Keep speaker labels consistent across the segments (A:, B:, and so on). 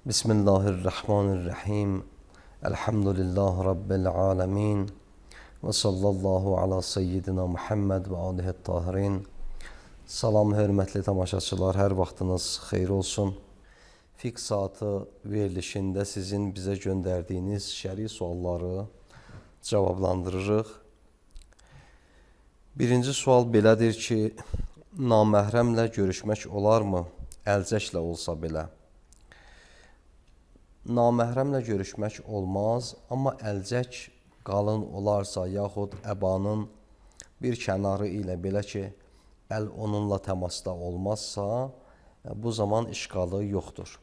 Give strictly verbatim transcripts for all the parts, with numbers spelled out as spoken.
A: Bismillahirrahmanirrahim. Elhamdülillah Rabbil alemin. Və sallallahu ala seyyidina Muhammed və alihi tahirin. Salam, hörmətli tamaşaçılar, hər vaxtınız xeyir olsun. Fiqh saatı verilişində sizin bizə göndərdiyiniz şəri sualları cavablandırırıq. Birinci sual belədir ki, naməhrəmlə görüşmək olarmı? Əlcəklə olsa belə. Naməhrəmlə görüşmək olmaz, amma əlcək qalın olarsa, yaxud əbanın bir kənarı ilə belə ki, əl onunla təmasda olmazsa, bu zaman işqalı yoxdur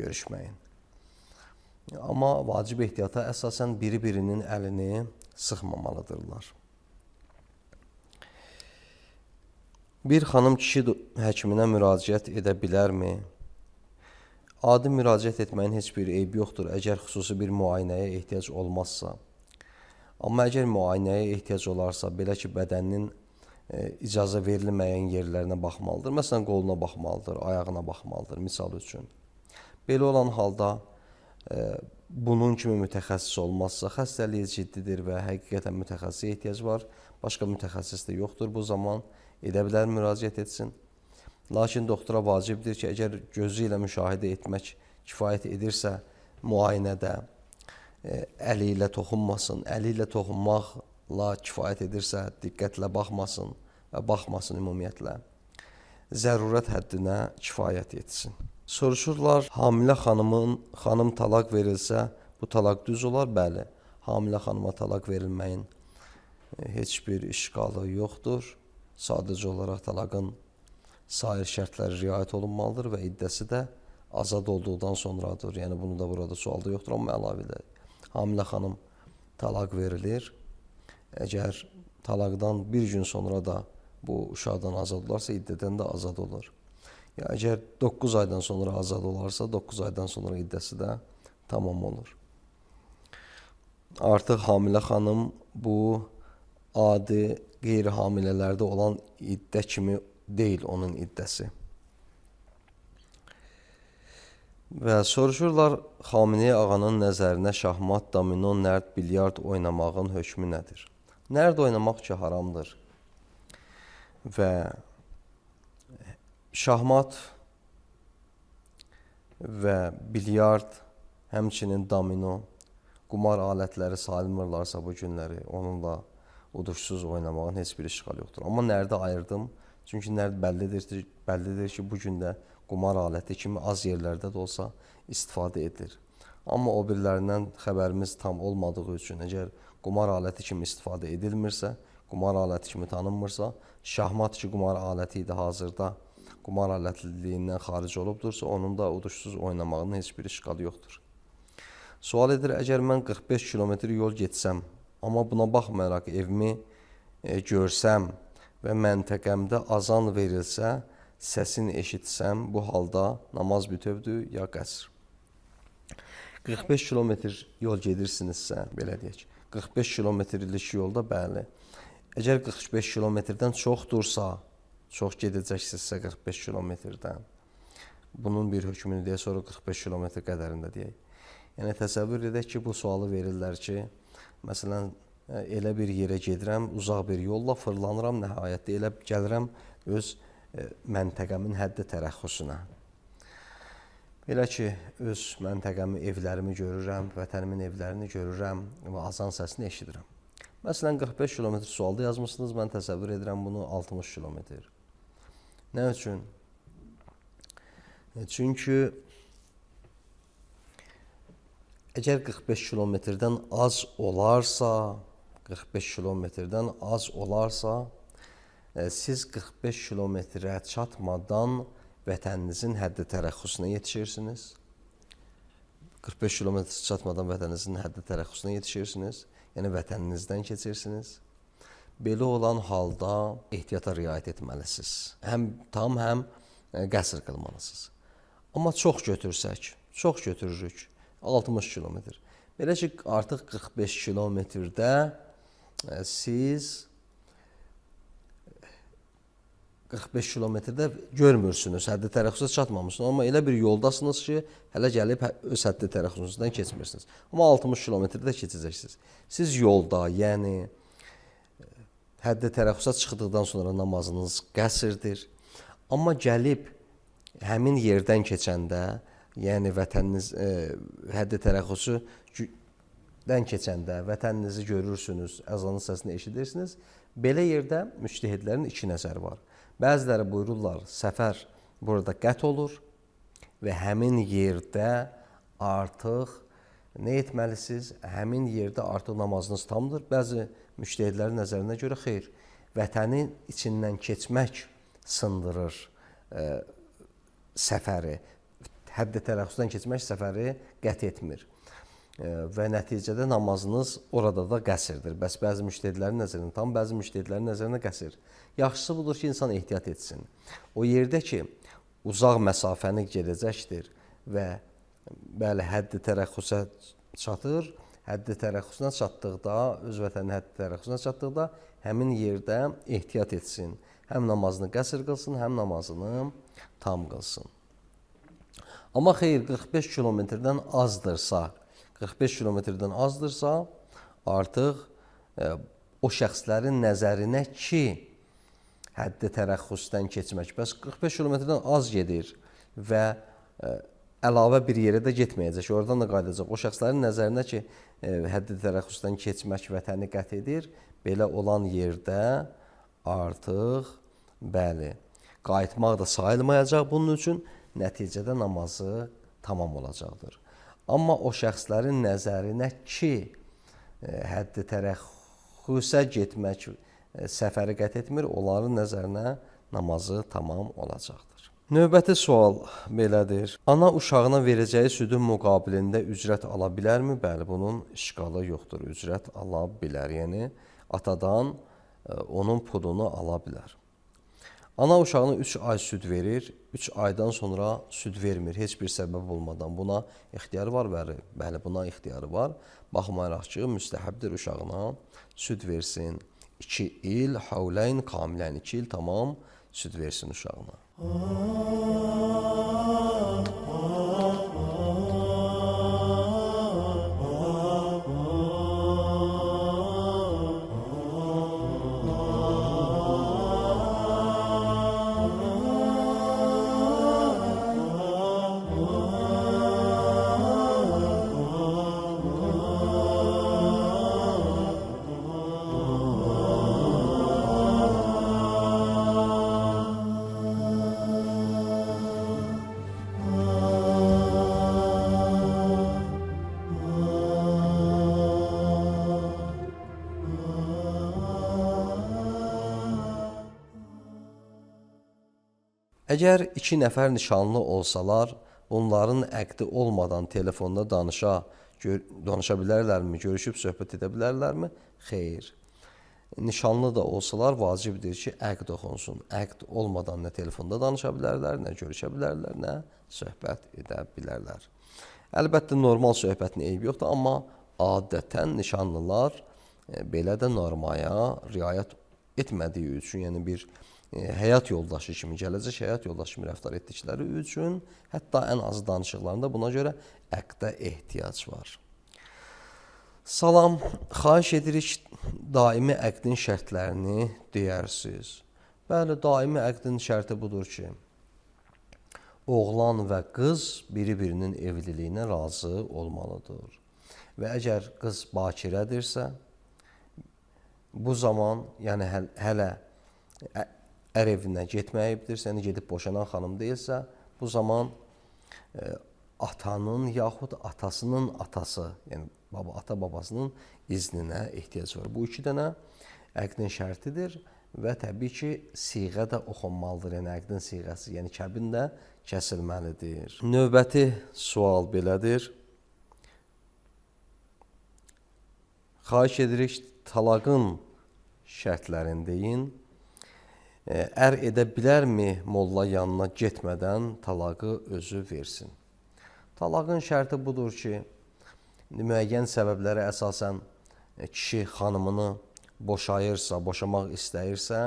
A: görüşməyin. Amma vacib ehtiyata əsasən biri-birinin əlini sıxmamalıdırlar. Bir xanım kişi həkiminə müraciət edə bilərmi? Adi müraciət etməyin heç bir eybi yoxdur, əgər xüsusi bir müayinəyə ehtiyac olmazsa. Amma əgər müayinəyə ehtiyac olarsa, belə ki, bədəninin e, icazə verilməyən yerlərinə baxmalıdır. Məsələn, qoluna baxmalıdır, ayağına baxmalıdır, misal üçün. Belə olan halda e, bunun kimi mütəxəssis olmazsa, xəstəliyi ciddidir və həqiqətən mütəxəssisə ehtiyac var, başqa mütəxəssis də yoxdur, bu zaman edə bilər, müraciət etsin. Lakin doktora vacibdir ki, əgər gözü ilə müşahidə etmək kifayət edirsə, müayinədə e, əli ilə toxunmasın, əli ilə toxunmaqla kifayət edirsə, diqqətlə baxmasın və baxmasın ümumiyyətlə. Zərurət həddinə kifayət etsin. Soruşurlar, hamilə xanımın, xanım talaq verilsə, bu talaq düz olar? Bəli, hamilə xanıma talaq verilməyin e, heç bir işqalı yoxdur. Sadəcə olaraq talaqın sair şərtləri riayət olunmalıdır və iddəsi də azad olduqdan sonradır. Yəni, bunu da burada sualda yoxdur, amma əlavədir. Hamilə xanım talaq verilir. Əgər talaqdan bir gün sonra da bu uşaqdan azad olarsa, iddədən də azad olur. Ya, əgər doqquz aydan sonra azad olarsa, doqquz aydan sonra iddəsi də tamam olur. Artıq hamilə xanım bu adi qeyri-hamilələrdə olan iddə kimi deyil onun iddəsi. Və soruşurlar, Xameneyi ağanın nəzərinə şahmat, domino, nərd, bilyard oynamağın hökmü nədir? Nərd oynamaq ki, haramdır. Və şahmat və bilyard, həmçinin domino, qumar alətləri sayılmırlarsa bu günləri, onunla uduşsuz oynamağın heç bir işğal yoxdur. Amma nərdə ayırdım. Çünki nərd bəllidir, bəllidir ki, bu gün də qumar aləti kimi az yerlərdə də olsa istifadə edilir. Amma o birlərindən xəbərimiz tam olmadığı üçün, əgər qumar aləti kimi istifadə edilmirsə, qumar aləti kimi tanınmırsa, şahmat ki, qumar aləti idi hazırda, qumar alətliliyindən xaric olubdursa, onun da uduşsuz oynamağının heç bir işqalı yoxdur. Sual edir, əgər mən qırx beş kilometr yol getsəm, amma buna baxmayaraq evimi e, görsəm, və məntəqəmdə azan verilsə, səsini eşitsəm, bu halda namaz bütövdür ya qəsr. qırx beş kilometr yol gedirsinizsə, belə deyək, qırx beş kilometrlik yolda bəli. Əgər qırx beş kilometrdən çoxdursa, çox gedəcəksinizsə qırx beş kilometrdən, bunun bir hökmünü deyə, sonra qırx beş kilometr qədərində deyək. Yəni, təsəvvür edək ki, bu sualı verirlər ki, məsələn, elə bir yerə gedirəm, uzaq bir yolla fırlanıram, nəhayətdə elə gəlirəm öz e, məntəqəmin həddi tərəxxüsünə. Belə ki, öz məntəqəmi, evlərimi görürəm, vətənimin evlərini görürəm və azan səsini eşidirəm. Məsələn, qırx beş kilometr sualda yazmışsınız, mən təsəvvür edirəm bunu altmış kilometr. Nə üçün? E, çünki əgər qırx beş kilometrdən az olarsa, qırx beş kilometrdən az olarsa, e, siz qırx beş kilometrə çatmadan vətəninizin həddi tərəxxüsünə yetişirsiniz. qırx beş kilometr çatmadan vətəninizin həddi tərəxxüsünə yetişirsiniz. Yəni, vətəninizdən keçirsiniz. Belə olan halda ehtiyata riayət etməlisiniz. Həm tam, həm e, qəsr qılmalısınız. Amma çox götürsək, çox götürürük, altmış kilometr. Belə ki, artıq qırx beş kilometrdə siz qırx beş kilometrdə görmürsünüz, həddi tərəxüsə çatmamışsınız. Amma elə bir yoldasınız ki, hələ gəlib öz həddi tərəxüsünüzdən keçmirsiniz. Amma altmış kilometrdə keçəcəksiniz. Siz yolda, yəni həddi tərəxüsə çıxdıqdan sonra namazınız qəsrdir. Amma gəlib həmin yerdən keçəndə, yəni vətəniniz e, həddi tərəxüsüdən keçəndə vətəninizi görürsünüz, əzanın səsini eşidirsiniz. Belə yerdə müctəhidlərin iki nəzəri var. Bəziləri buyururlar, səfər burada qət olur və həmin yerdə artıq nə etməlisiniz? Həmin yerdə artıq namazınız tamdır. Bəzi müctəhidlərin nəzərinə görə xeyr, vətənin içindən keçmək sındırır e, səfəri. Həddi tərəxüsdən keçmək səfəri qət etmir. E, və nəticədə namazınız orada da qəsrdir. Bəs bəzi müctəhidlərin nəzərinə tam, bəzi müctəhidlərin nəzərinə qəsr. Yaxşısı budur ki, insan ehtiyat etsin. O yerdə ki, uzaq məsafəni gedəcəkdir və bəli, həddi tərəxüsə çatır, həddi tərəxüsünə çatdıqda, öz vətənin həddi tərəxüsünə çatdıqda həmin yerdə ehtiyat etsin. Həm namazını qəsr qılsın, həm namazını tam qılsın. Amma xeyr, qırx beş kilometrdən azdırsa, qırx beş kilometrdən azdırsa, artıq e, o şəxslərin nəzərinə ki, həddi tərəxüsdən keçmək. Bəs qırx beş kilometrdən az gedir və ə, əlavə bir yerə də getməyəcək. Oradan da qayıdacaq. O şəxslərin nəzərinə ki, ə, həddi tərəxüsdən keçmək vətəni qət edir. Belə olan yerdə artıq bəli, qayıtmaq da sayılmayacaq bunun üçün. Nəticədə namazı tamam olacaqdır. Amma o şəxslərin nəzərinə ki, ə, həddi tərəxüsə getmək səfəri qət etmir, onların nəzərinə namazı tamam olacaqdır. Növbəti sual belədir. Ana uşağına verəcəyi südün müqabilində ücrət ala bilərmi? Bəli, bunun işqalı yoxdur. Ücrət ala bilər. Yəni, atadan onun pulunu ala bilər. Ana uşağına üç ay süd verir, üç aydan sonra süd vermir, heç bir səbəb olmadan. Buna ixtiyarı var, bəli, bəli, buna ixtiyarı var. Baxmayaraq ki, müstəhəbdir uşağına süd versin. iki il, havləyn, kamilən, iki il tamam süd versin uşağına. Əgər iki nəfər nişanlı olsalar, onların əqdi olmadan telefonda danışa, danışa bilərlərmi, görüşüb söhbət edə bilərlərmi? Xeyr. Nişanlı da olsalar vacibdir ki, əqd oxunsun. Əqd olmadan nə telefonda danışa bilərlər, nə görüşə bilərlər, nə söhbət edə bilərlər. Əlbəttə, normal söhbətin eybi yoxdur, amma adətən nişanlılar belə də normaya riayət etmədiyi üçün, yəni bir həyat yoldaşı kimi, gələcək həyat yoldaşı kimi rəftar etdikləri üçün, hətta ən azı danışıqlarında buna görə əqdə ehtiyac var. Salam, xahiş edirik, daimi əqdin şərtlərini deyərsiniz. Bəli, daimi əqdin şərti budur ki, oğlan və qız biri-birinin evliliyinə razı olmalıdır. Və əgər qız bakirədirsə, bu zaman, yəni həl hələ ər evinə getməyibdirsə, yəni gedib boşanan xanım deyilsə, bu zaman e, atanın yaxud atasının atası, yəni baba, ata babasının izninə ehtiyac var. Bu iki dənə əqdin şərtidir və təbii ki, siğə də oxunmalıdır, yəni əqdin siğəsi, yəni kəbin də kəsilməlidir. Növbəti sual belədir. Xahiş edirik, talaqın şərtlərini deyin. Ər edə bilərmi molla yanına getmədən talaqı özü versin? Talaqın şərti budur ki, müəyyən səbəblərə əsasən kişi xanımını boşayırsa, boşamaq istəyirsə,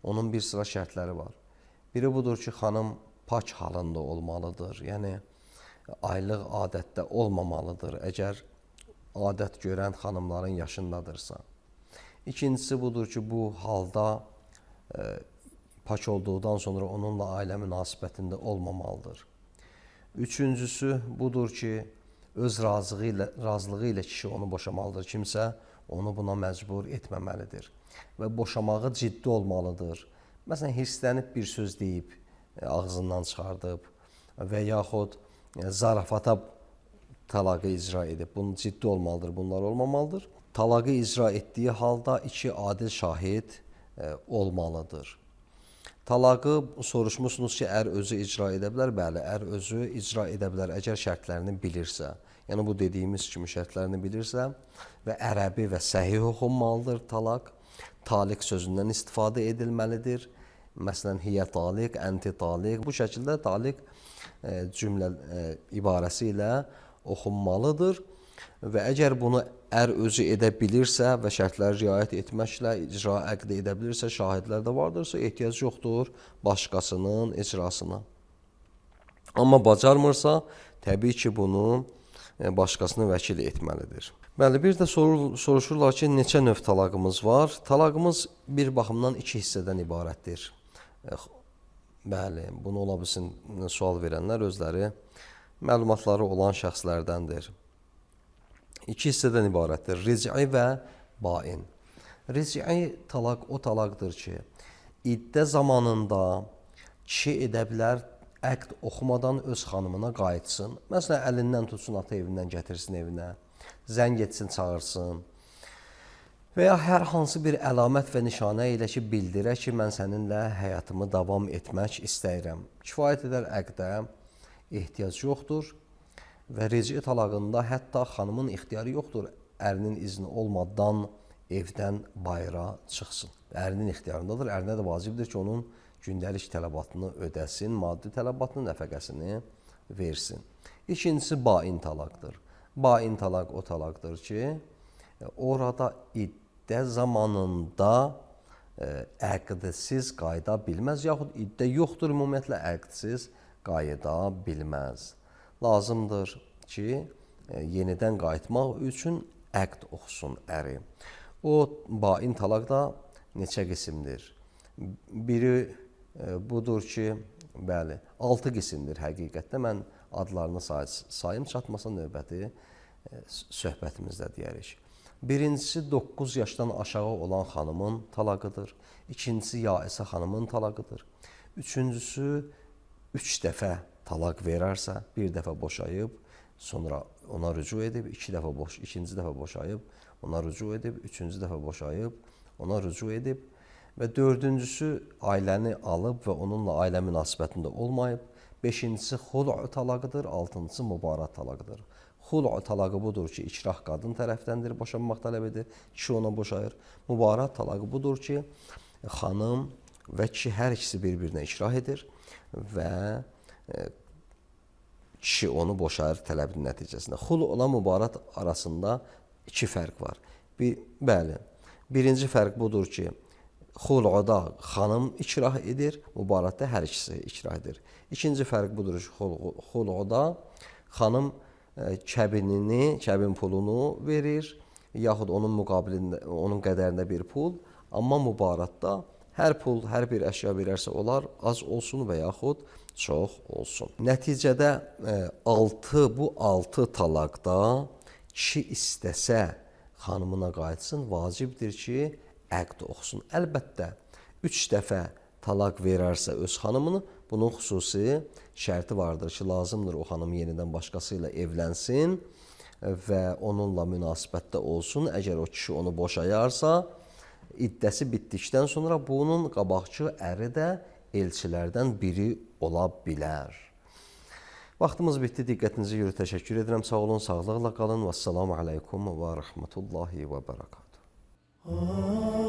A: onun bir sıra şərtləri var. Biri budur ki, xanım pak halında olmalıdır. Yəni, aylıq adətdə olmamalıdır, əgər adət görən xanımların yaşındadırsa. İkincisi budur ki, bu halda e, pak olduqdan sonra onunla ailə münasibətində olmamalıdır. Üçüncüsü budur ki, öz razılığı ilə, razılığı ilə kişi onu boşamalıdır. Kimsə onu buna məcbur etməməlidir və boşamağı ciddi olmalıdır. Məsələn, hirslənib bir söz deyib, ağzından çıxardıb və yaxud zarafata talaqı icra edib. Bunun ciddi olmalıdır, bunlar olmamalıdır. Talaqı icra etdiyi halda iki adil şahid olmalıdır. Talaqı soruşmuşsunuz ki, ər özü icra edə bilər. Bəli, ər özü icra edə bilər, əgər şərtlərini bilirsə. Yəni, bu dediyimiz kimi şərtlərini bilirsə və ərəbi və səhih oxunmalıdır talaq. Taliq sözündən istifadə edilməlidir. Məsələn, hiyə taliq, ənti taliq. Bu şəkildə taliq e, cümlə e, ibarəsi ilə oxunmalıdır. Və əgər bunu ər özü edə bilirsə və şərtləri riayət etməklə icra əqd edə bilirsə, şahidlər də vardırsa, ehtiyac yoxdur başqasının icrasına. Amma bacarmırsa, təbii ki, bunu başqasını vəkil etməlidir. Bəli, bir də sorur, soruşurlar ki, neçə növ talaqımız var? Talaqımız bir baxımdan iki hissədən ibarətdir. Bəli, bunu ola bilsin sual verənlər özləri məlumatları olan şəxslərdəndir. İki hissədən ibarətdir. Ric'i və bain. Ric'i talaq o talaqdır ki, iddə zamanında kişi edə bilər, əqd oxumadan öz xanımına qayıtsın. Məsələn, əlindən tutsun, ata evindən gətirsin evinə, zəng etsin, çağırsın. Və ya hər hansı bir əlamət və nişanə ilə ki, bildirə ki, mən səninlə həyatımı davam etmək istəyirəm. Kifayət edər əqdə ehtiyac yoxdur. Və ric'i talağında hətta xanımın ixtiyarı yoxdur, ərinin izni olmadan evdən bayıra çıxsın. Ərinin ixtiyarındadır, ərinə də vacibdir ki, onun gündəlik tələbatını ödəsin, maddi tələbatını, nəfəqəsini versin. İkincisi, bain talaqdır. Bain talaq o talaqdır ki, orada iddə zamanında əqdsiz qayıda bilməz, yaxud iddə yoxdur, ümumiyyətlə əqdsiz qayıda bilməz. Lazımdır ki, yenidən qayıtmaq üçün əqd oxusun əri. O, bain talaq da neçə qismdir? Biri budur ki, bəli, altı qismdir həqiqətdə. Mən adlarını say sayım, çatmasa növbəti söhbətimizdə deyərik. Birincisi, doqquz yaşdan aşağı olan xanımın talaqıdır. İkincisi, yaisə xanımın talaqıdır. Üçüncüsü, üç dəfə talaq verərsə, bir dəfə boşayıb, sonra ona rücu edib, iki dəfə boş, ikinci dəfə boşayıb, ona rücu edib, üçüncü dəfə boşayıb, ona rücu edib və dördüncüsü ailəni alıb və onunla ailə münasibətində olmayıb, beşincisi xul'u talaqıdır, altıncısı mübarat talaqıdır. Xul'u talağı budur ki, ikrah qadın tərəfdəndir, boşanmaq tələb edir, kişi ona boşayır. Mübarat talağı budur ki, xanım və kişi hər ikisi bir-birinə ikrah edir və kişi onu boşayır tələbin nəticəsində. Xul olan mübarat arasında iki fərq var. Bir, bəli, birinci fərq budur ki, xul'da xanım ikrah edir, mübaratda hər ikisi ikrah edir. İkinci fərq budur ki, xul'da xanım kəbinini, kəbin pulunu verir, yaxud onun müqabilində, onun qədərində bir pul, amma mübaratda hər pul, hər bir əşya verərsə olar, az olsun və yaxud çox olsun. Nəticədə altı, bu altı talaqda kişi istəsə xanımına qayıtsın, vacibdir ki, əqd oxusun. Əlbəttə, üç dəfə talaq verərsə öz xanımını, bunun xüsusi şərti vardır ki, lazımdır o xanım yenidən başqası ilə evlənsin və onunla münasibətdə olsun. Əgər o kişi onu boşayarsa, iddəsi bitdikdən sonra bunun qabaqçı əri də elçilərdən biri ola bilər. Vaxtımız bitdi. Diqqətinizi görə təşəkkür edirəm. Sağ olun, sağlıqla qalın. Vəssalamu aleykum və rəhmətullahi və bərəkatuhu.